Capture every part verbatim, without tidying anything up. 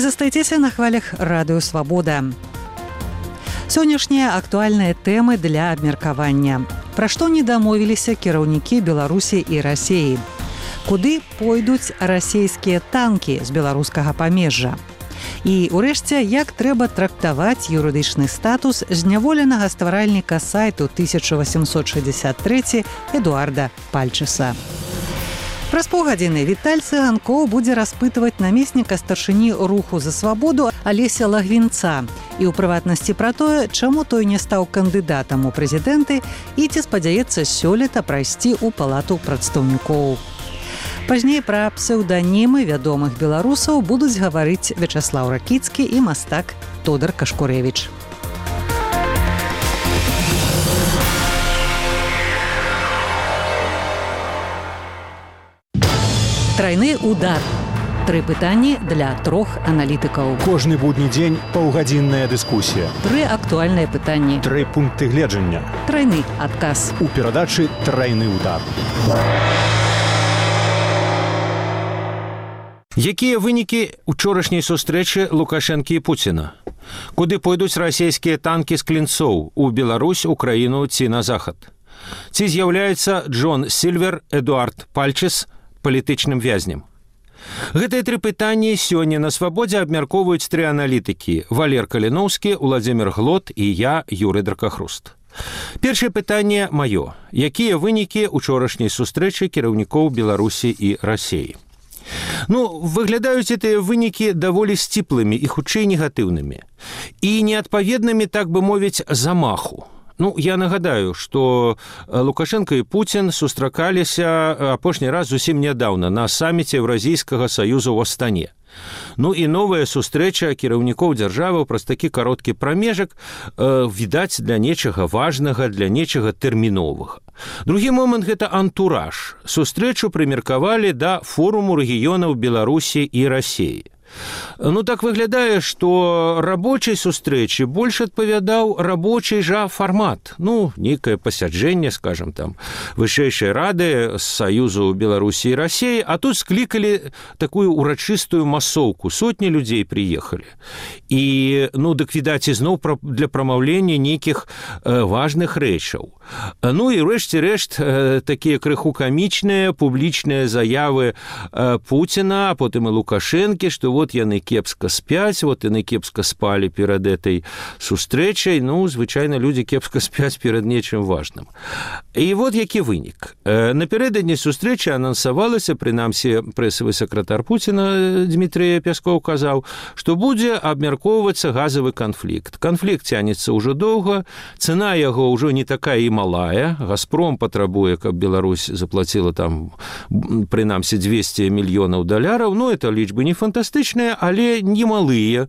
Вы застаецеся на хвалях радыё Свабода. Сённяшнія актуальныя тэмы для абмеркавання. Пра што не дамовіліся кіраўнікі Беларусі і Расіі? Куды пойдуць расійскія танкі з беларускага памежжа? І, урэшце, як трэба трактаваць юрыдычны статус зняволенага стваральніка сайту тысяча восемьсот шестьдесят три Эдуарда Пальчеса. Праз паўгадзіны Віталь Цыганкоў будзе распытваць намесніка старшыні руху за свабоду Алеся Лагвінца і ў прыватнасці пра тое, чаму той не стаў кандыдатам у прэзідэнты і ці спадзяецца сёлета прайсці ў палату прадстаўнікоў. Пазней пра псеўданімы вядомых беларусаў будуць гаварыць Вячаслаў Ракіцкі і мастак Тодар Кашкурэвіч. Трайны удар. Тры пытанні для трох аналітыкаў. Кожны будні дзень паўгадзінная дыскусія. Тры актуальныя пытанні. Тры пункты гледжання. Трайны адказ. У перадачы «Трайны удар». Якія вынікі учорашняй сустрэчы Лукашэнкі і Пуціна? Куды пойдуць расійскія танкі з клінцоў? У Беларусь, Украіну ці на захад? Ці з'яўляецца Джон Сільвер, Эдуард Пальчес палітычным вязнем? Гэтыя тры пытанні сёння на Свабодзе абмяркоўваюць тры аналітыкі: Валер Каліноўскі, Уладзімір Глот і я, Юрый Дракахруст. Першае пытанне маё. Якія вынікі учорашняй сустрэчы кіраўнікоў Беларусі і Расіі? Ну, выглядаюць гэтыя вынікі даволі сціплымі і хутчэй негатыўнымі. І неадпаведнымі, так бы мовіць, замаху. Ну, я нагадаю, што Лукашенко і Пуцін сустракаліся апошні раз зусім нядаўна на саміце Еўразійскага саюзу ў Астане. Ну і новая сустрэча кіраўнікоў дзяржаваў праз такі кароткі прамежак э, відаць для нечага важнага, для нечага тэрміновага. Другі момант – гэта антураж. Сустрэчу прымеркавалі да форуму рэгіёнаў Беларусі і Расіі. Ну, так выглядае, што рабочай сустрэчы больш адпавядаў рабочий жа фармат. Ну, нейкае пасяджэнне, скажем, там, вышэйшай рады з Саюзу Беларусі і Расіі, а тут склікалі такую урачыстую масоўку. Сотні людзей прыехалі. І, ну, дык, відаць, ізноў для прамаўлення нейкіх э, важных рэчаў. Ну, і рэшце рэшт э, такія крыху камічныя публічныя заявы э, Пуціна, а потым і Лукашэнкі, што вот яны кепска спяць, вот яны кепска спалі перад этой сустрэчай. Ну, звычайна, людзі кепска спяць перад нечым важным. І вот які вынік. Э, напярэдадні сустрэчы анансавалася, прынамсі, прэсавы сакратар Пуціна Дмітрий Пяскоў казаў, што будзе абмяркоўвацца газавы канфлікт. Канфлікт цянецца ўжо доўга, цана яго ўжо не такая і малая. Газпром патрабуе, каб Беларусь заплаціла там, прынамсі, двести мільёнаў даляраў. Ну, это лічбы не фантастычныя, але немалыя.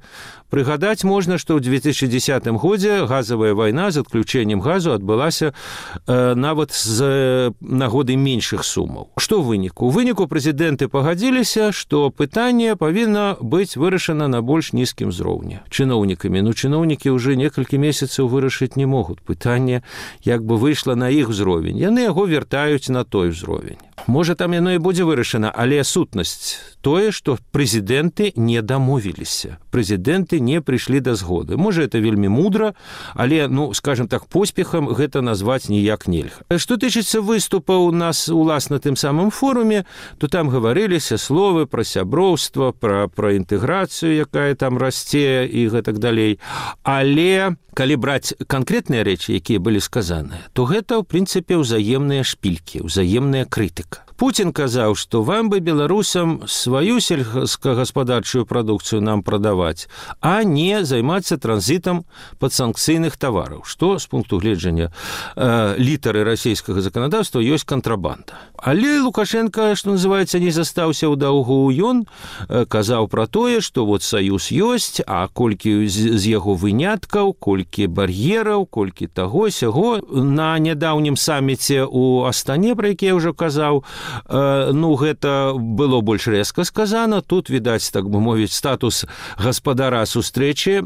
Прыгадаць можна, што ў две тысячи дзесятым годзе газавая вайна з адключэннем газу адбылася э, нават з нагоды меншых сумаў. Што ў выніку? У выніку прэзідэнты пагадзіліся, што пытанне павінна быць вырашана на больш нізкім узроўні. Чыноўнікамі. Ну, чыноўнікі ўжо некалькі месяцаў вырашыць не могуць. Пытанне як бы выйшла на іх узровень. Яны яго вяртаюць на той узровень. Можа, там яно і будзе вырашана, але сутнасць тое, што прэзідэнты не дамовіліся. Прэзідэнты не прыйшлі да згоды. Можа, это вельмі мудра, але, ну, скажем так, поспехам гэта назваць ніяк нельга. Што тычыцца выступаў у нас уласна тым самым форуме, то там гаварыліся словы пра сяброўства, пра, пра інтэграцыю, якая там расце і гэтак далей. Але калі браць канкрэтныя рэчы, якія былі сказаныя, то гэта, ў прынцыпе, ўзаемныя шпількі, ўзаемная крытыка. Пуцін казаў, што вам бы, беларусам, сваю сельскагаспадарчую прадукцыю нам прадаваць, а не займацца транзітам падсанкцыйных тавараў, што з пункту гледжання э, літары расійскага заканадаўства ёсць кантрабанда. Але Лукашенко, што называецца, не застаўся ў даўгу. Ён э, казаў пра тое, што вот саюз ёсць, а колькі з, з яго выняткаў, колькі бар'ераў, колькі таго-сяго. На нядаўнім саміце ў Астане, пра які я ўжо казаў, ну гэта было больш рэзка сказана. Тут відаць, так бы мовіць, статус гаспадара сустрэчы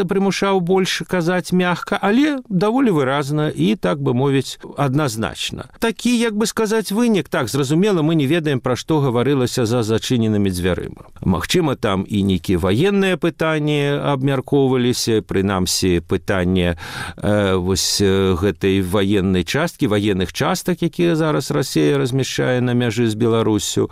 прымушаў больш казаць мягка, але даволі выразна і, так бы мовіць, адназначна. Такі, як бы сказаць, вынік, так, зразумела, мы не ведаем, пра што гаварылася за зачыненымі дзвярыма. Магчыма, там і нейкія ваенныя пытанні абмяркоўваліся, прынамсі, пытанне э, вось гэтай ваеннай часткі, ваенных частак, якія зараз Расія размяшчае на мяжы з Беларусю.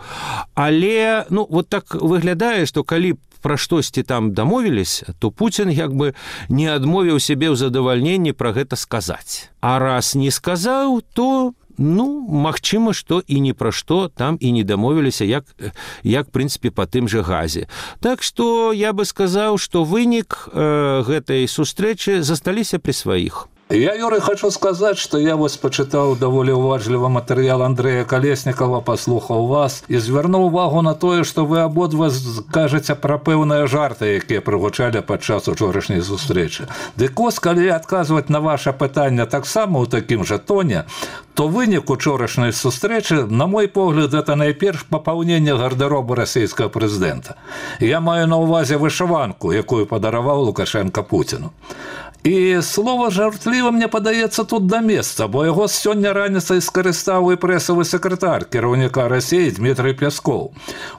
Але, ну, вот так выглядае, што калі пра штосьці там дамовіліся, то Пуцін як бы не адмовіў сябе ў задавальненні пра гэта сказаць. А раз не сказаў, то, ну, магчыма, што і ні пра што там і не дамовіліся, як, як, в прынцыпе, па тым жа газе. Так што я бы сказаў, што вынік э, гэтай сустрэчы засталіся пры сваіх. Я, Юрий, хочу сказать, что я вас почитал довольно уважливо материал Андрея Колесникова, послухал вас и звернув увагу на то, что вы ободва кажете про певные жарты, які пригучали під час учорашньої зустрічі. Дикос, коли відказувати на ваше питання так само у таким же тоні, то винік учорашньої зустрічі, на мой погляд, це найперш поповнення гардеробу російського президента. Я маю на увазі вишиванку, яку подарував Лукашенко Путіну. І слово жартливо, мені подається, тут до місця, бо його сьогодні раніцей скористав і пресовий секретар керівника Росії Дмитрий Пєсков.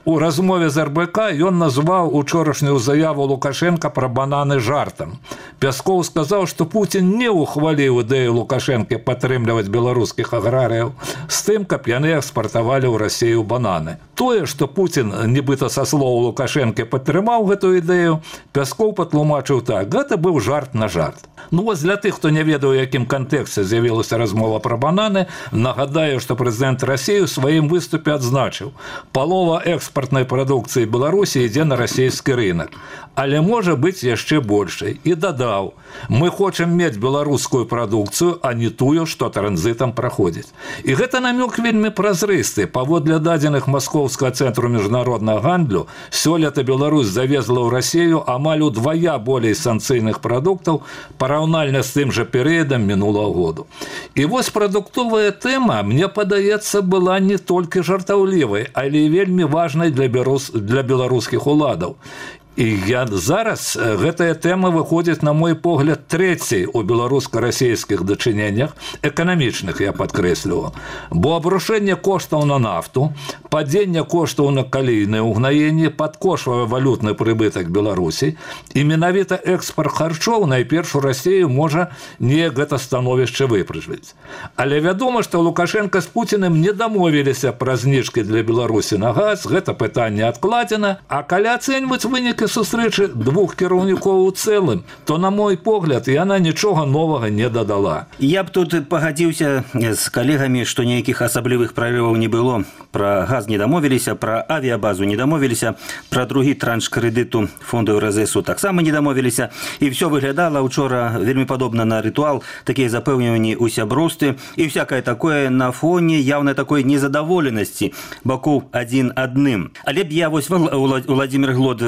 У розмові з ер бе ка він назвав учорашню заяву Лукашенка про банани жартом. Пєсков сказав, що Путін не ухвалив ідею Лукашенка підтримувати білоруських аграріїв з тим, щоб вони експортували в Росію банани. Тое, що Путін, нібито со слова Лукашенка, підтримав цю ідею, Пєсков потлумачив так: це був жарт на жарт. Ну, ось для тих, хто не ведає, у яким контексті з'явилася розмова про банани, нагадаю, що президент Росії у своїм виступі відзначив: полова експортної продукції Білорусі йде на російський ринок, але може бути ще більше. І додав: ми хочемо мати білоруську продукцію, а не тую, що транзитом проходить. І це намек вельми прозристий. Паводле дадених Московського центру міжнародного гандлю, сьогодні Білорусь завезла в Росію амаль удвоя більше санкційних продуктів, параўнальна з тим же періодом минулого году. І ось продуктовая тема, мне падаецца, была не толькі жартаўлівай, але і вельмі важнай для, белорус... для беларускіх уладаў. І я зараз, гэтая тэма выходзіць, на мой погляд, трэцяй у беларуска-расійскіх дачыненнях, эканамічных, я падкрэсліваю. Бо абрушэнне коштаў на нафту, падзенне коштаў на калійнае ўгнаенне падкошвае валютны прыбытак Беларусі, і менавіта экспорт харчоў найперш у Расію можа неяк гэта становішча выпрыжваць. Але вядома, што Лукашенко з Пуціным не дамовіліся пра зніжкі для Беларусі на газ, гэта пытанне адкладзена, а калі ацэньваць вынікі сустрэчы двух кіраўнікоў у цэлым, то, на мой погляд, яна нічога новага не дадала. Я б тут пагадзіўся з калегамі, што ніякіх асаблівых прарываў не было. Пра газ не дамовіліся, пра авіябазу не дамовіліся, пра другі транш крэдыту фонду эр эс эсу таксама не дамовіліся. І ўсё выглядала учора вельмі падобна на рытуал, такія запэўніванні ў сяброўстве і всякае такое на фоне яўнай такой незадаволенасці бакоў адзін адным. Але б я вось Владзімір Глод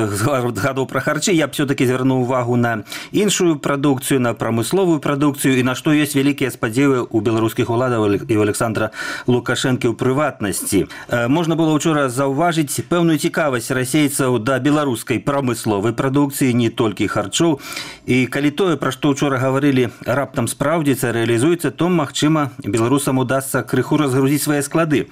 гадоў пра харчы, я б все-таки звярнуў увагу на іншую прадукцыю, на прамысловую прадукцыю і на што ёсць вялікія спадзевы ў беларускіх уладаў і ў Александра Лукашэнкі ў прыватнасці. Можна было ўчора заўважыць пэўную цікавасць расейцаў да беларускай прамысловай прадукцыі, не толькі харчоў. І калі тое, пра што ўчора гаварылі, раптам спраўдзіцца, рэалізуецца, то, магчыма, беларусам удасца крыху разгрузіць свае склады.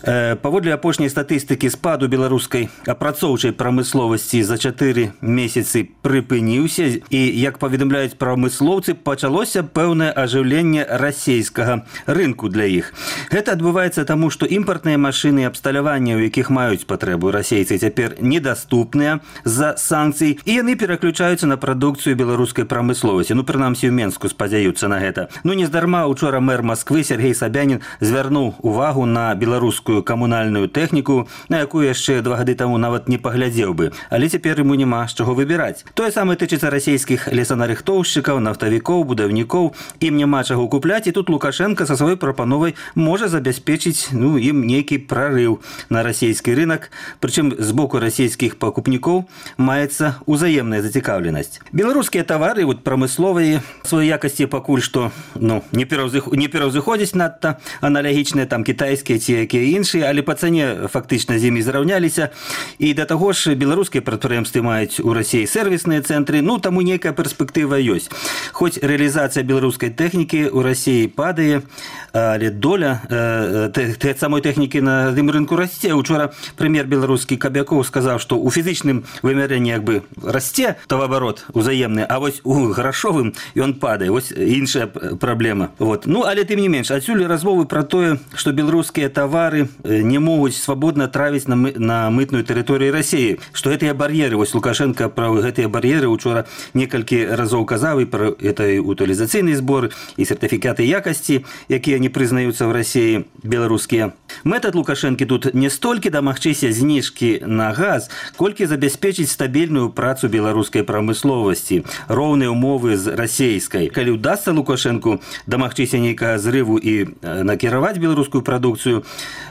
Паводле апошняй статыстыкі спаду беларускай апрацоўчай прамысловасці за чатыры месяцы прыпыніўся і, як паведамляюць прамыслоўцы, пачалося пэўнае ажыўленне расейскага рынку для іх. Гэта адбываецца таму, што імпартныя машыны абсталявання, у якіх маюць патрэбу расейцы, цяпер недаступныя з-за санкцый, і яны пераключаюцца на прадукцыю беларускай прамысловасці. Ну, прынамсі, ў Менску спадзяюцца на гэта. Ну, нездарма учора мэр Масквы Сергей Собянин звярнуў увагу на беларускую камунальную тэхніку, на якую яшчэ два гады таму нават не паглядзеў бы. Але цяпер яму няма з чаго выбіраць. Тое самае тычыцца расійскіх лесанарыхтоўшчыкаў, нафтавікоў, будаўнікоў. Ім няма чаго купляць, і тут Лукашенко са сваёй прапановай можа забяспечыць, ну, ім нейкі прарыў на расійскі рынок. Прычым з боку расійскіх пакупнікоў маецца ўзаемная зацікаўленасць. Беларускія тавары, вот прамысловыя сваёй якасці пакуль што, ну, не пераўзыходзяць надта аналагічныя там кітайскія ці якія іншыя, але па цане фактычна з імі зраўняліся. І да таго ж беларускія прадпрыемствы маюць у Расіі сервісныя цэнтры, ну таму нейкая перспектыва ёсць. Хоць рэалізацыя беларускай тэхнікі ў Расіі падае, але доля э, самой тэхнікі на гэтым рынку расце. Учора прэм'ер беларускі Кабякоў сказаў, што ў фізічным вымярэнні як бы расце таваабарот узаемны, а вось у грашовым ён падае. Вось іншая праблема. Вот. Ну, але тым не менш, адсюль размовы пра тое, што беларускія тавары не могуць свабодна травіць на, мы, на мытную тэрыторыю Расіі, што гэтыя бар'еры, вось Лукашенко пра гэтыя бар'еры учора некалькі разоў казаў і пра этой утылізацыйнай збор і сертыфікаты якасці, якія не прызнаюцца ў Расіі беларускія. Метад Лукашэнкі тут не столькі дамагчыся зніжкі на газ, колькі забяспечыць стабільную працу беларускай прамысловасці, роўныя ўмовы з расейскай. Калі ўдасца Лукашэнку дамагчыся нейкага зрыву і накіраваць беларускую прадукцыю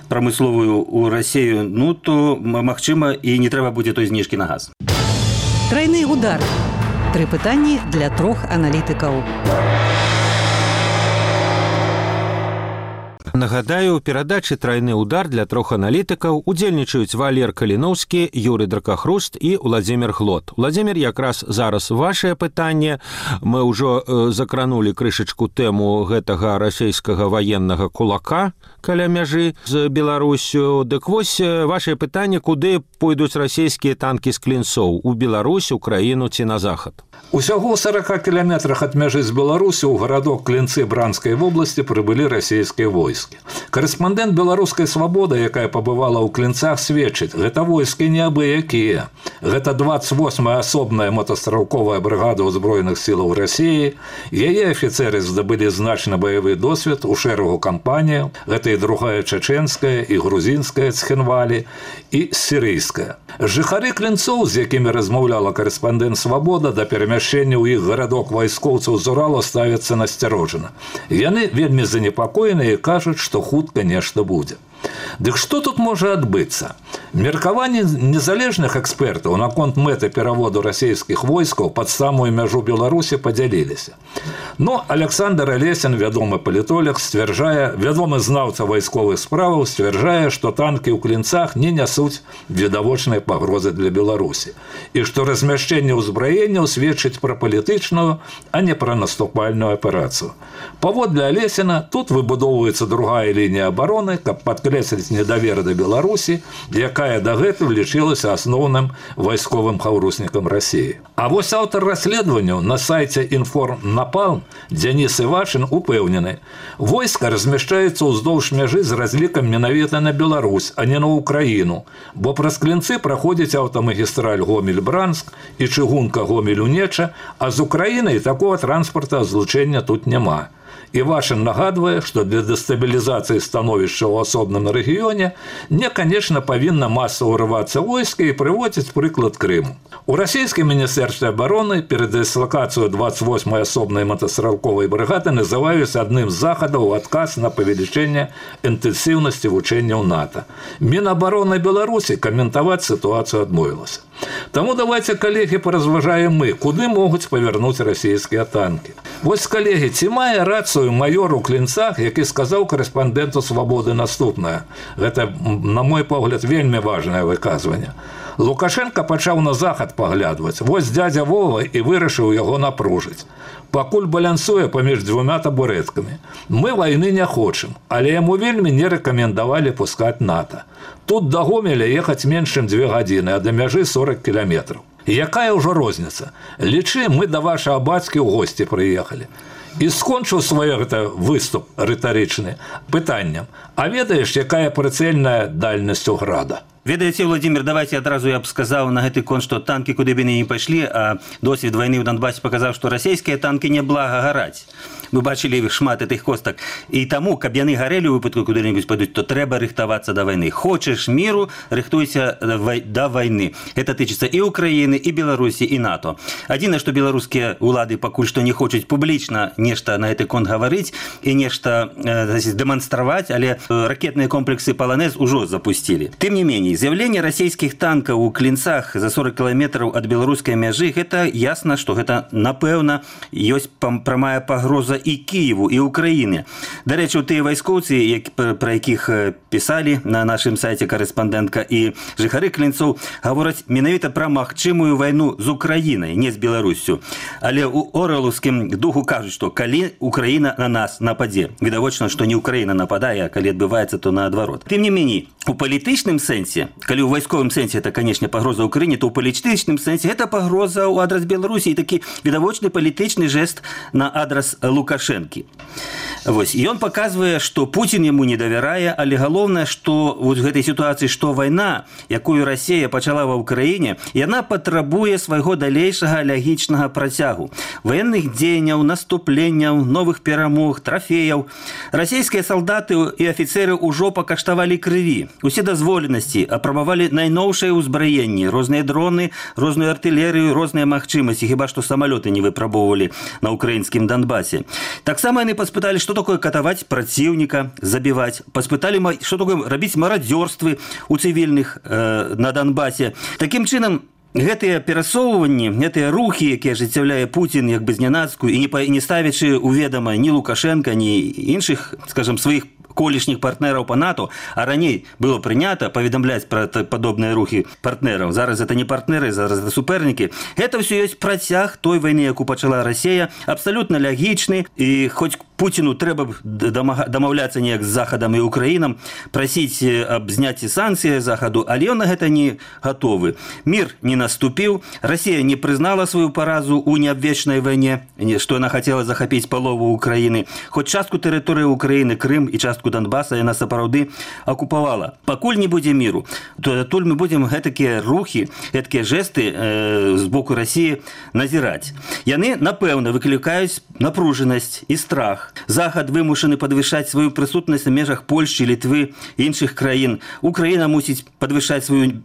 прамысловую ў Расію, ну то, магчыма, і не трэба будзе той зніжкі на газ. Трайны удар. Тры пытанні для трох аналітыкаў. Нагадаю, у перадачы «Трайны удар» для трох аналітыкаў удзельнічаюць Валер Каліноўскі, Юрый Дракахруст і Владзімір Глот. Владзімір, якраз зараз вашае пытанне. Мы ўжо э, закранулі крышачку тэму гэтага расійскага ваеннага кулака каля мяжы з Беларусю. Дык вось вашае пытанне, куды пойдуць расійскія танкі з клінцоў? У Беларусь, Украіну ці на захад? Усяго ў сорока кіламетрах ад мяжы з Беларусі ў гарадок Клінцы Бранскай вобласці прыбылі расійскія войскі. Карэспандэнт беларускай «Свабоды», якая пабывала ў Клінцах, сведчыць, гэта войскі не абы-якія. Гэта двадцать восьмая асобная мотастралковая брыгада ўзброеных сілаў Расіі. Яе афіцэры здабылі значны баявы досвед у шэрагу кампаніяў. Гэта і другая чачэнская, і грузінская Цхінвалі, і сірыйская. Жыхары Клінцоў, з якімі размаўляла карэспандэнт «Свабода», да перамяшчэння ў іх гарадок вайскоўцаў з Уралу ставяцца насцярожана. Яны вельмі занепакоеныя і кажуць, што хутка нешта будзе. Дык што тут можа адбыцца? Меркаванні незалежных экспертаў наконт мэты пераводу расійскіх войскаў пад самую мяжу Беларусі падзяліліся. Но Александр Алесін, вядомы палітолог, сцвярджае, вядомы знаўца вайсковых справаў, сцвярджае, што танкі ў Клінцах не нясуць відавочнай пагрозы для Беларусі і што размяшчэнне ўзбраенняў сведчыць пра палітычную, а не пра наступальную аперацыю. Паводле Алесіна, тут выбудоўваецца другая лінія абароны, каб падкрэсліць недавер да Беларусі, якая дагэтуль лічылася асноўным вайсковым хаўруснікам Расіі. А вось аўтар расследаванняў на сайце «Інформнапалм» Дзяніс Івашын упэўнены, войска размяшчаецца ўздоўж мяжы з разлікам менавіта на Беларусь, а не на Украіну, бо праз Клінцы праходзіць аўтамагістраль Гомель-Бранск і чыгунка Гомель-Унеча, а з Украінай такога транспарта злучэння тут няма. Івашын нагадвае, што для дэстабілізацыі становішча ў асобным рэгіёне не, канешне, павінна масава ўрывацца войска і прыводзіць прыклад Крыму. У расійскім міністэрстве абароны перадыслакацыю двадцать восьмай асобнай мотастралковай брыгады называюць адным з захадаў у адказ на павелічэнне інтэнсіўнасці вучэнняў НАТО. Мінабароны Беларусі каментаваць сітуацыю адмовілася. Таму давайте, калегі, паразважаем мы, куды могуць павярнуць расійскія танкі. Вось, калегі, ці мае рацыю майор у Клінцах, які сказаў карэспандэнту «Свабоды» наступнае. Гэта, на мой погляд, вельмі важнае выказванне. Лукашенко пачаў на захад паглядваць. Вось дядя Вова і вырашыў яго напружыць. Пакуль балансуе паміж дзвюма табурэткамі. Мы вайны не хочам, але яму вельмі не рэкамендавалі пускаць НАТО. Тут да Гомеля ехаць менш чым дзве гадзіны, а да мяжы сорок кіламетраў. Якая ўжо розніца? Лічы, мы да вашага бацькі ў госці прыехалі. І скончыў свой гэта выступ рытарычны пытаннем. А ведаеш, якая прыцэльная дальнасць у града? Ведаеце, Владимир, давайте адразу я б сказаў на гэты конт, што танкі куды б яны не пайшлі, а досвед вайны ў Донбасе паказаў, што расійскія танкі не блага гараць. Мы бачылі шмат гэтых костак. І таму, каб яны гарэлі ў выпадку куды-небудзь пойдуць, то трэба рыхтавацца да вайны. Хочаш міру, рыхтуйся да вайны. Гэта тычыцца і Украіны, і Беларусі, і НАТО. Адзінае, што беларускія ўлады пакуль што не хочуць публічна нешта на гэты конт гаварыць і нешта э, дэманстраваць, але ракетныя комплексы «Паланез» ужо запусцілі. Тым не меней, з'яўленне расійскіх танкаў у Клінцах за сорок кіламетраў ад беларускай мяжы, гэта ясна, што гэта, напэўна, ёсць прамая пагроза і Києву, і України. До речі, ті військовці, про яких писали на нашому сайті кореспондентка і жихари Клінцов, говорять менавіта про магчимую війну з Україною, не з Білоруссю. Але у ореловському духу кажуть, що коли Україна на нас нападе. Відавочно, що не Україна нападає, а коли відбувається, то наоборот. Тим не менее, у політичному сенсі, коли у військовому сенсі це, звісно, погроза Україні, то у політичному сенсі це погроза у адрес Білорусі і такий відавочний політичний жест на адрес Лукашенки. Вось. І він показує, що Путін йому не довіряє, але головне, що в цій ситуації, що війна, яку Росія почала в Україні, і вона потребує свого дальнейшого логічного протягу. Воєнних діянь, наступлень, нових перемог, трофеїв. Російські солдати і офіцери уже покаштували крові. Усі дозволеності, апробували найновше узброєння, різні дрони, різну артилерію, різні можливості, хіба що самоліти не випробовували на українському Донбасі. Так само вони поспитали, что такое катовать противника, забивать. Поспытали, что такое робить мародерство у цивільних э, на Донбасі. Таким чином, гэтыя перасоўванні, гэтыя рухі, якія ажыццяўляе Путін як бы знянацку і не, не ставячы у ведама ні Лукашенка, ні іншых, скажем, сваіх колішніх партнераў по НАТО, а раней было прынята паведамляць пра падобныя рухі партнераў. Зараз это не партнеры, зараз это супернікі. Гэта ўсё ёсць працяг той вайны, якую пачала Расія, абсалютна логічны, і хоць Путіну трэба дамаўляцца неяк з Захадам і Украінам, прасіць аб зняцці санкцыі Захаду, але ён на гэта не гатовы. Мір не наступіў, Расія не прызнала сваю паразу ў неабвечнай вайне, што яна хацела захапіць палову Украіны. Хоць частку тэрыторыі Украіны, Крым і частку Донбаса яна сапраўды акупавала. Пакуль не будзе міру, то адтуль мы будзем гэтакія рухі, гэтакія жэсты э, з боку Расіі назіраць. Яны, напэўна, выклікаюць напружанасць і страх. Захад вымушаны падвышаць сваю прысутнасць на межах Польшчы, Літвы і іншых краін. Украіна мусіць падвышаць сваю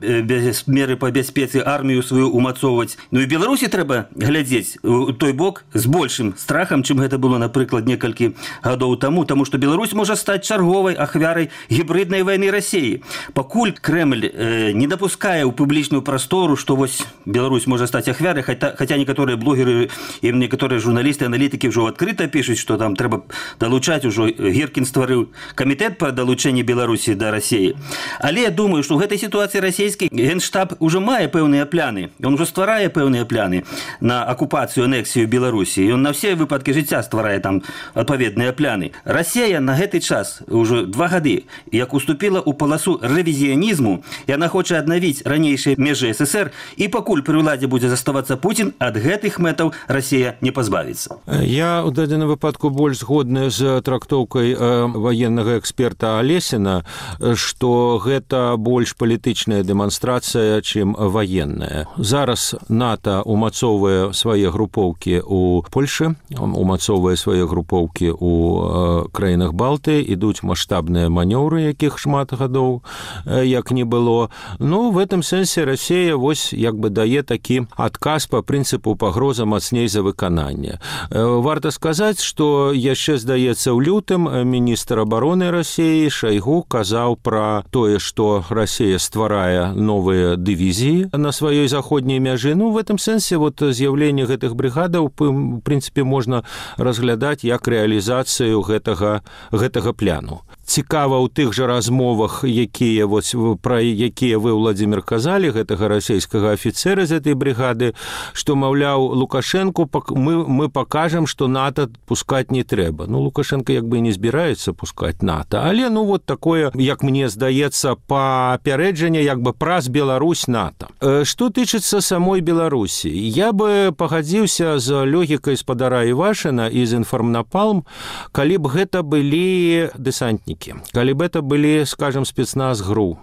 меры па бяспецы, армію сваю умацоўваць. Ну і Беларусі трэба глядзець у той бок з большым страхам, чым гэта было, напрыклад, некалькі гадоў таму, таму што Беларусь можа стаць чарговай ахвярай гібриднай вайны Расіі. Пакуль Кремль э, не дапускае ў публічную прастору, што вось Беларусь можа стаць ахвярай, хаця, хаця некаторыя блогеры і некаторыя журналісты, аналітыкі ўжо адкрыта пішуць, што там трэба далучаць, ужо Гіркін стварыў камітэт па далучэнні Беларусі да Расіі. Але я думаю, што ў гэтай сітуацыі расійскі генштаб ужо мае пэўныя пляны. Ён ужо стварае пэўныя пляны на акупацыю, анексію Беларусі. Ён на ўсе выпадкі жыцця стварае там адпаведныя пляны. Расія на гэты час, ужо два гады, як уступіла ў паласу рэвізіянізму, яна хоча аднавіць ранейшыя межы СССР, і пакуль пры ўладзе будзе заставацца Путін, ад гэтых мэтаў Расія не пазбавіцца. Я ў дадзеным выпадку больш згодны з трактоўкай ваеннага эксперта Алесіна, што гэта больш палітычная дэманстрацыя, чым ваенная. Зараз НАТО умацоўвае свае групоўкі ў Польшы, умацоўвае свае групоўкі ў краінах Балтыі, ідуць маштабныя манёўры, якіх шмат гадоў як не было. Ну, в этом сэнсе Расія вось як бы дае такі адказ па прынцыпу пагроза мацней за выкананне. Варта сказаць, што яшчэ, здаецца, ў лютым міністр абароны Расіі Шайгу казаў пра тое, што Расія стварае новыя дывізіі на сваёй заходняй мяжы. Ну, в этом сэнсе вот з'яўленне гэтых брыгадаў, в прынцыпе, можна разглядаць як рэалізацыю гэтага, гэтага пляну. Цікава ў тых жа размовах, якія, вось, пра якія вы, Владзімір, казалі, гэтага расійскага афіцэра з этой брыгады, што, маўляў, Лукашэнку мы, мы пакажам, што НАТО пускаць не трэба. Ну, Лукашенко як бы не збіраецца пускаць НАТО, але, ну, вот такое, як мне здаецца, папярэджанне як бы праз Беларусь НАТО. Што тычыцца самой Беларусі, я бы пагадзіўся з логікай спадара Івашына і з Інформнапалм, калі б гэта былі дэсантнікі, калі б это былі, скажем, спецназ ГРУ.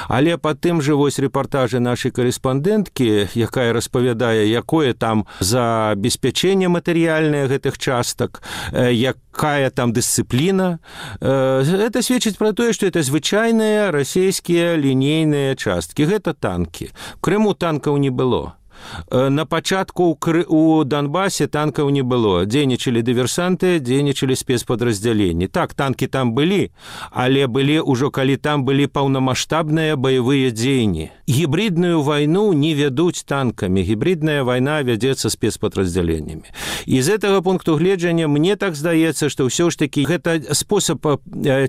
Але па тым жа вось рэпартажы нашай карэспандэнткі, якая распавядае, якое там забеспячэнне матэрыяльнае гэтых частак, якая там дысцыпліна, это сведчыць пра тое, што это звычайныя расійскія лінейныя часткі. Гэта танкі. В Крыму танкаў не было. На пачатку у Донбасе танкаў не было. Дзейнічалі дыверсанты, дзейнічалі спецпадраздзяленні. Так, танкі там былі, але былі ўжо калі там былі паўнамаштабныя баявыя дзеянні. Гібридную вайну не вядуць танкамі. Гібридная вайна вядзецца спецпадраздзяленнямі. І з гэтага пункту гледжання мне так здаецца, што ўсё ж такі гэта спосаб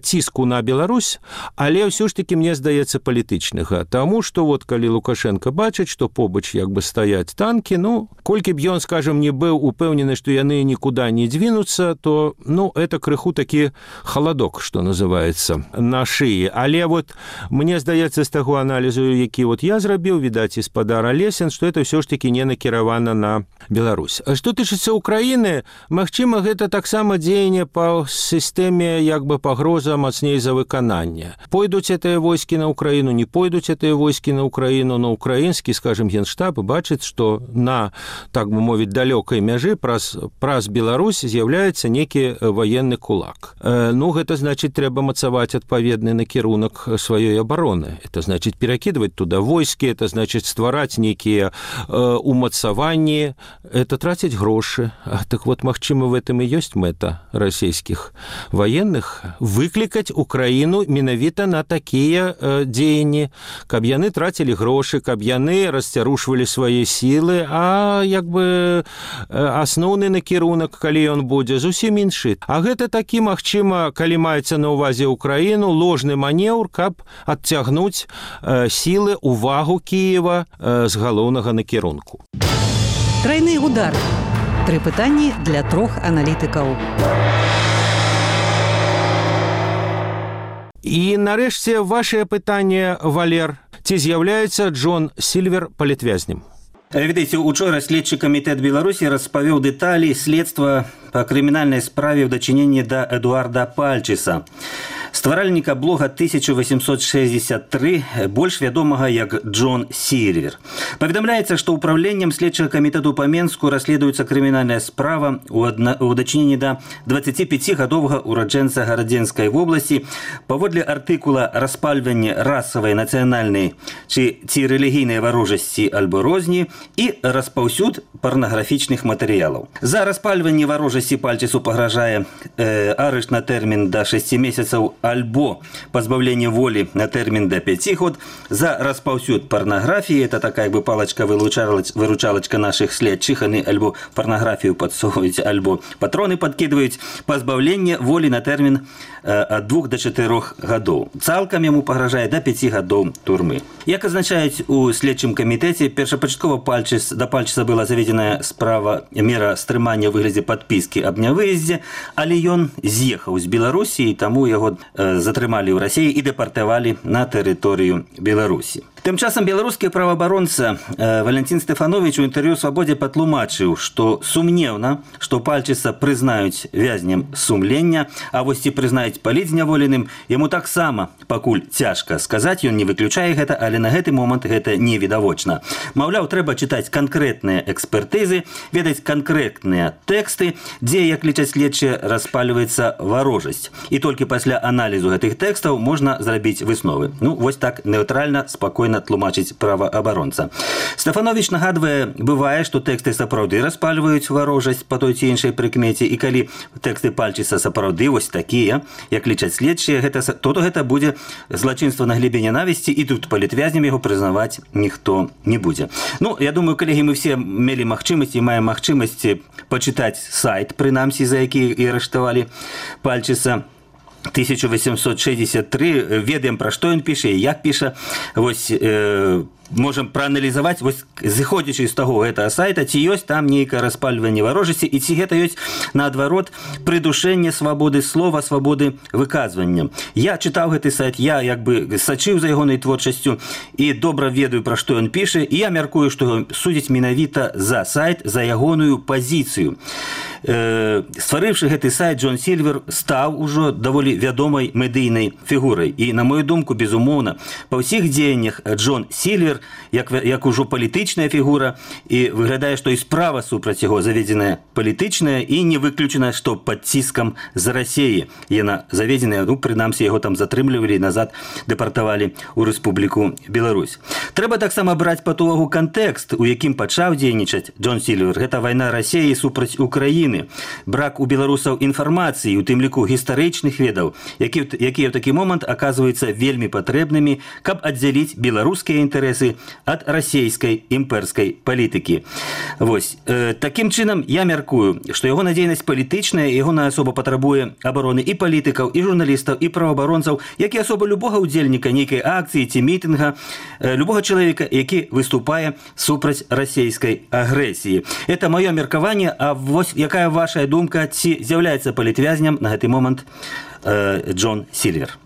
ціску на Беларусь, але ўсё ж такі мне здаецца палітычнага. Таму што вот калі Лукашенко бачыць, што побач як бы стаяць танкі, ну, колькі б ён, скажем, не быў упэўнены, што яны нікуда не двінуцца, то, ну, это крыху такі халадок, што называецца, на шыі. Але вот мне здаецца з таго аналізу, які вот я зрабіў, відаць, і спадар Алесін, што это ўсё ж такі не накіравана на Беларусь. А што тычыцца Украіны, магчыма, гэта таксама дзеянне па сістэме як бы пагроза мацней за выкананне. Пойдуць гэтыя войскі на Украіну, не пойдуць гэтыя войскі на Украіну, на украінскі, скажем, генштаб бачыць, што на, так бы мовіць, далёкай мяжы праз, праз Беларусь з'яўляецца некі ваенны кулак. Э, ну, гэта значыць, трэба мацаваць адпаведны накірунак сваёй абароны. Это значыць, перакідваць туда войскі, это значыць, ствараць некія э, умацаванні, это траціць грошы. А, так вот, магчыма, в этом і ёсць мэта расійскіх ваенных выклікаць Украіну менавіта на такія э, дзеянні, каб яны трацілі грошы, каб яны расцярушвалі свае сілы, а як бы асноўны накірунак, калі ён будзе, зусім іншы. А гэта такі, магчыма, калі маецца на ўвазе Украіну, ложны манеўр, каб адцягнуць э, сілы, увагу Кіева э, з галоўнага накірунку. Трайны удар. Тры пытанні для трох аналітыкаў. І нарэшце вашае пытанне, Валер. Ці з'яўляецца Джон Сільвер палітвязнем? Ведаеце, учора следчы камітэт Беларусі распавёў дэталі следства па крымінальнай справе ў дачыненні да Эдуарда Пальчыса, стваральніка блога тысяча восемьсот шестьдесят три, больш вядомага як Джон Сільвер. Паведамляецца, што ўпраўленнем следчага камітэту па Менску расследуецца крымінальная справа ў дачыненні да дваццаціпяцігадовага ураджэнца Гарадзенскай вобласці паводле артыкула «Распальванне расавай, нацыянальнай ці, ці рэлігійнай варожасці альбо розні» і распаўсюд парнаграфічных матэрыялаў. За распальванне варожасці Пальчысу пагражае э, арышт на тэрмін да шасці месяцаў альбо пазбаўленне волі на тэрмін да пяці год. За распаўсюд парнаграфіі, это такая бы палачка-выручалачка нашых следчых, яны альбо парнаграфію падсоўваюць, альбо патроны падкідваюць, пазбаўленне волі на тэрмін э, ад двух да чатырох гадоў. Цалкам яму пагражае да пяці гадоў турмы. Як азначаюць у следчым камітэце, першапачаткова Пальчыс, да Пальчыса была заведзеная справа мера стрымання ў выглядзе падпіскі аб нявыездзе, але ён з'ехаў з Беларусі, і таму яго э, затрымалі ў Расіі і дэпартавалі на тэрыторыю Беларусі. Тым часам беларускі праваабаронца э, Валентин Стефанович у інтэрв'ю «Свабодзе» патлумачыў, што сумнеўна, што Пальчыса прызнаюць вязнем сумлення, а вось ці прызнаюць палітзняволеным, яму таксама пакуль цяжка сказаць, ён не выключае гэта, але на гэты момант гэта невідавочна. Маўляў, трэба чытаць канкрэтныя экспертызы, ведаць канкрэтныя тэксты, дзе, як лічаць следчыя, распальваецца варожасць. І толькі пасля аналізу гэтых тэкстаў можна зрабіць высновы. Ну, вось так нейтральна, спакойна тлумачыць праваабаронца. Стефанович нагадвае, бывае, што тэксты сапраўды распальваюць варожасць па той ці іншай прыкмеце, і калі тэксты Пальчыса сапраўды вось такія, як лічаць следчыя, гэта, то гэта будзе злачынства на глебе нянавісці, і тут палітвязнем яго прызнаваць ніхто не будзе. Ну, я думаю, калегі, мы все мелі магчымасць і маем магчымасць пачытаць сайт, прынамсі, за які і арыштавалі Пальчыса, тысяча восемьсот шестьдесят три, ведаем, пра што ён піша і як піша. Вось э, можам прааналізаваць, вось зыходзячы з таго гэтага сайта, ці ёсць там нейкае распальванне варожасці, і ці гэта ёсць, наадварот, прыдушэнне свабоды слова, свабоды выказвання. Я чытаў гэты сайт, я як бы сачыў за ягонай творчасцю і добра ведаю, пра што ён піша, і я мяркую, што судзіць менавіта за сайт, за ягоную пазіцыю. Э, стварыўшы гэты сайт, Джон Сільвер стаў ужо даволі вядомай медыйнай фігурай. І, на мою думку, безумоўна, па ўсіх дзеяннях Джон Сільвер, як, як ужо палітычная фігура, і выглядае, што і справа супраць яго заведзеная палітычная, і не выключана, што пад ціскам з Расіі яна заведзеная, ну, прынамсі, яго там затрымлівалі, назад дэпартавалі ў Рэспубліку Беларусь. Трэба таксама браць пад увагу кантэкст, у якім пачаў дзейнічаць Джон Сільвер. Гэта вайна Расіі супраць Украіны. прычыны. Брак у беларусаў інфармацыі, у тым ліку гістарычных ведаў, якія, якія ў такі момант аказваюцца вельмі патрэбнымі, каб аддзяліць беларускія інтарэсы ад расейскай імперскай палітыкі. Вось. Э, такім чынам, я мяркую, што ягоная дзейнасць палітычная, ягоная асоба патрабуе абароны і палітыкаў, і журналістаў, і праваабаронцаў, як і асоба любога ўдзельніка нейкай акцыі ці мітынга, э, любога чалавека, які выступае супраць расейскай агрэсіі. Это маё меркаванне, а вось якая ваша думка, ці з'яўляецца палітвязням на гэты момант э, Джон Сільвер?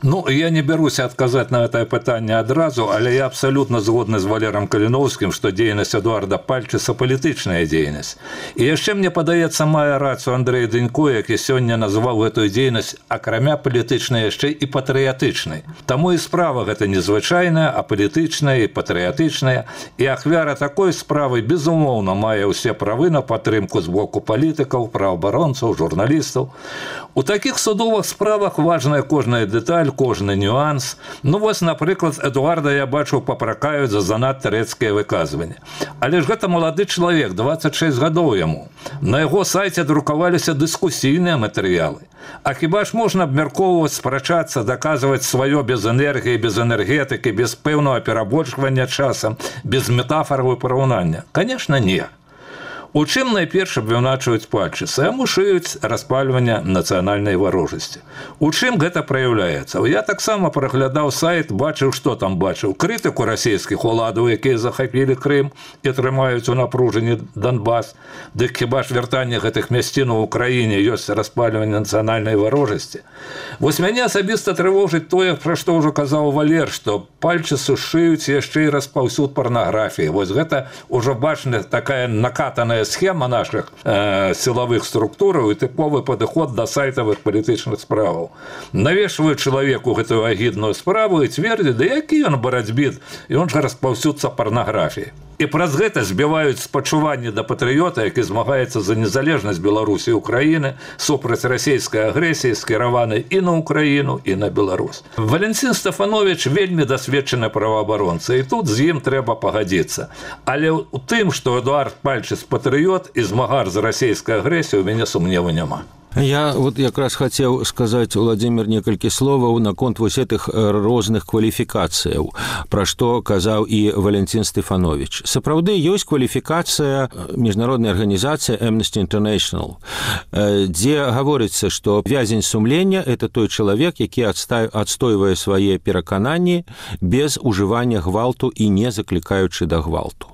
Ну, я не берусь адказаць на гэтае пытанне адразу, але я абсалютна згодны з Валерам Каліноўскім, што дзейнасць Эдуарда Пальчыса палітычная дзейнасць. І яшчэ мне падаецца, мае рацыю Андрэй Дэнько, які сёння назваў гэтую дзейнасць акрамя палітычнай яшчэ і патрыятычнай. Таму і справа гэта незвычайная, а палітычная і патрыятычная. І ахвяра такой справы, безумоўна, мае ўсе правы на падтрымку з боку палітыкаў, праваабаронцаў, журналістаў. У такіх судовых справах важная кожная дэталь, кожны нюанс. Ну, вось, напрыклад, Эдуарда, я бачу, папракаюць за занадта рэдкія выказванні. Але ж гэта малады чалавек, дваццаць шэсць гадоў яму. На яго сайце друкаваліся дыскусійныя матэрыялы. А хіба ж можна абмяркоўваць, спрачацца, даказваць сваё без энергіі, без энергетыкі, без пэўнага перабольшвання часам, без метафараў і параўнання? Канешне, не. У чым найперш абвінавачваюць Пальчыса? Яму шыюць распальванне нацыянальнай варожасці. У чым гэта праяўляецца? Я таксама праглядаў сайт, бачыў, што там бачыў. Крытыку расійскіх уладаў, якія захапілі Крым і трымаюць у напружанні Донбас. Дык хіба ж вяртанне гэтых мясцін у Украіне ёсць распальванне нацыянальнай варожасці? Вось мяне асабіста трывожыць тое, пра што ўжо казаў Валер, што Пальчысу шыюць яшчэ і распаўсюд парнаграфіі. Вось гэта ўжо бачна такая накатаная схема наших э, силовых структураў і тыповы падыход да сайтавых палітычных справаў. Навешваюць чалавеку гэтую агідную справу і цвердзяць, да які ён барацьбіт, і он жа распаўсюдца парнаграфіі. І праз гэта збіваюць спачуванне да патрыёта, які змагаецца за незалежнасць Беларусі і Украіны супраць расійскай агрэсіі, скіраванай і на Украіну, і на Беларусь. Валентин Стефанович вельмі дасведчаны праваабаронца, і тут з ім трэба пагадзіцца. Але у тым, што Эдуард Пальчыс патрыёт і змагар за расійскай агрэсіяй, у мяне сумневу няма. Я вот якраз хацеў сказаць, Владимир, некалькі словаў наконт вось гэтых розных кваліфікацыяў, пра што казаў і Валентин Стефанович. Сапраўды ёсць кваліфікацыя міжнароднай арганізацыі Amnesty International, дзе гаворыцца, што вязень сумлення – это той чалавек, які адстойвае свае перакананні без ужывання гвалту і не заклікаючы да гвалту.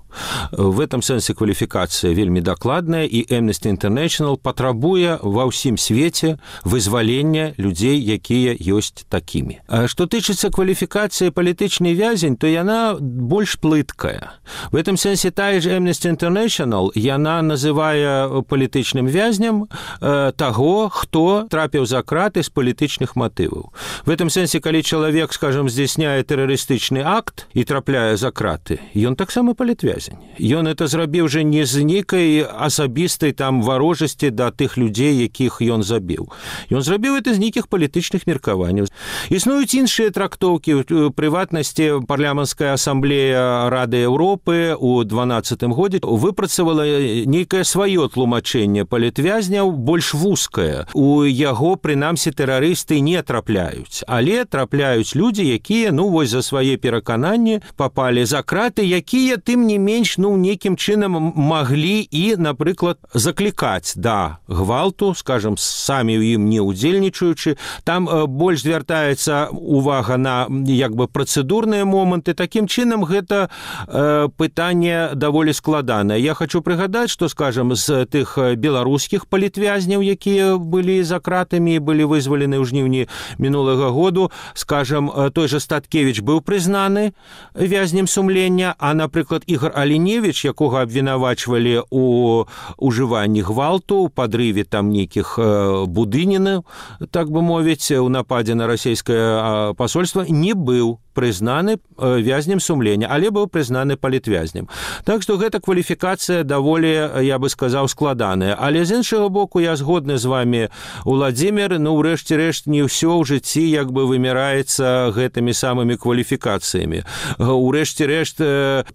В этом сэнсе кваліфікацыя вельмі дакладная, і Amnesty International патрабуе ва ўсім свеце вызвалення людзей, якія ёсць такімі. А што тычыцца кваліфікацыі палітычны вязень, то яна больш плыткая. В этом сэнсе тая ж Amnesty International, яна называе палітычным вязням э, таго, хто трапіў за краты з палітычных матываў. В этом сэнсе, калі чалавек, скажем, здзяйсняе тэрарыстычны акт і трапляе за краты, ён таксама палітвязень. Ён это зрабіў жа не з нейкай асабістай там варожасці да тых людзей, якіх ён забіў. Ён зрабіў это з нейкіх палітычных меркаванняў. Існуюць іншыя трактоўкі. У прыватнасці парламенцкая асамблея Рады Еўропы ў дванаццатым годзе выпрацавала нейкае сваё тлумачэнне палітвязняў, больш вузкае. У яго, прынамсі, тэрарысты не трапляюць, але трапляюць людзі, якія, ну, вось за свае перакананні папалі за краты, якія, тым не менш, ну, нейкім чынам маглі і, напрыклад, заклікаць да гвалту, скажем, самі ў ім не ўдзельнічаючы. Там э, больш звяртаецца увага на, як бы, працэдурныя моманты. Такім чынам гэта э, пытанне даволі складанае. Я хочу прыгадаць, што, скажем, з тых беларускіх палітвязняў, якія былі за кратамі і былі вызвалены ў жніўні мінулага году, скажем, той жа Статкевіч быў прызнаны вязнем сумлення, а, напрыклад, Ігор Аліневіч, якога абвінавачвалі у ужыванні гвалту, у падрыве там нейкіх будынінаў, так бы мовіць, у нападзе на расійскае пасольства, не быў прызнаны вязнем сумлення, але быў прызнаны палітвязнем. Так што гэта кваліфікацыя даволі, я бы сказаў, складаная. Але з іншага боку, я згодны з вами, Уладзімір, ну, ўрэшце рэшт, не ўсё ў жыцці як бы вымяраецца гэтымі самымі кваліфікацыямі. Урэшце рэшт,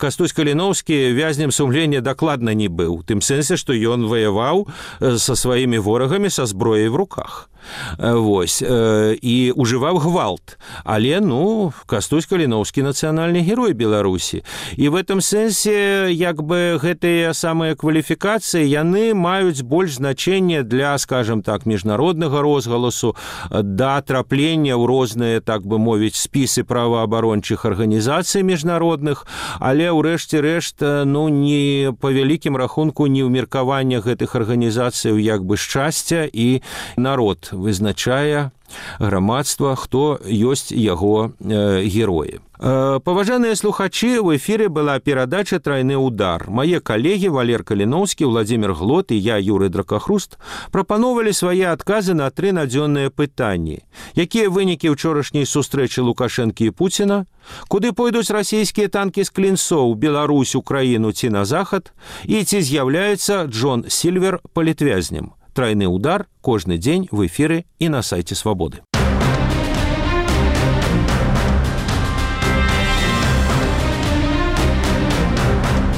Кастусь Каліноўскі вязнем сумлення дакладна не быў. Тым сэнсе, што ён ваяваў са сваімі ворагамі са зброяй в руках. Вось, і ужываў гвалт. Але, ну, Кастусь Каліноўскі нацыянальны герой Беларусі. І в этом сэнсе, як бы, гэтыя самыя кваліфікацыі, яны маюць больш значэнне для, скажем так, міжнароднага розгаласу, да траплення ў розныя, так бы мовіць, спісы праваабарончых арганізацый міжнародных, але, ўрэшце рэшт, ну, не па вялікім рахунку, не ў меркаваннях гэтых арганізацыяў, як бы, шчасця і народ вызначае грамадства, хто ёсць яго э, героі. Э, паважаныя слухачы, у эфіры была перадача «Трайны удар». Мае калегі Валер Каліноўскі, Уладзімір Глот і я, Юрый Дракахруст, прапановалі свае адказы на тры надзённыя пытанні. Якія вынікі ўчорашняй сустрэчы Лукашэнкі і Пуціна? Куды пойдуць расійскія танкі з клінцоў, Беларусь, Украіну ці на захад? І ці з'яўляецца Джон Сільвер палітвязнем? «Трайны удар» кожны дзень в эфіры і на сайце Свабоды.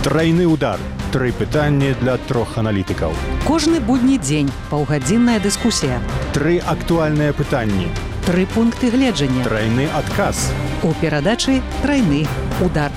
Трайны удар. Тры пытанні для трох аналітыкаў. Кожны будні дзень паўгадзінная дыскусія. Тры актуальныя пытанні. Тры пункты гледжання. Трайны адказ. У перадачы «Трайны удар».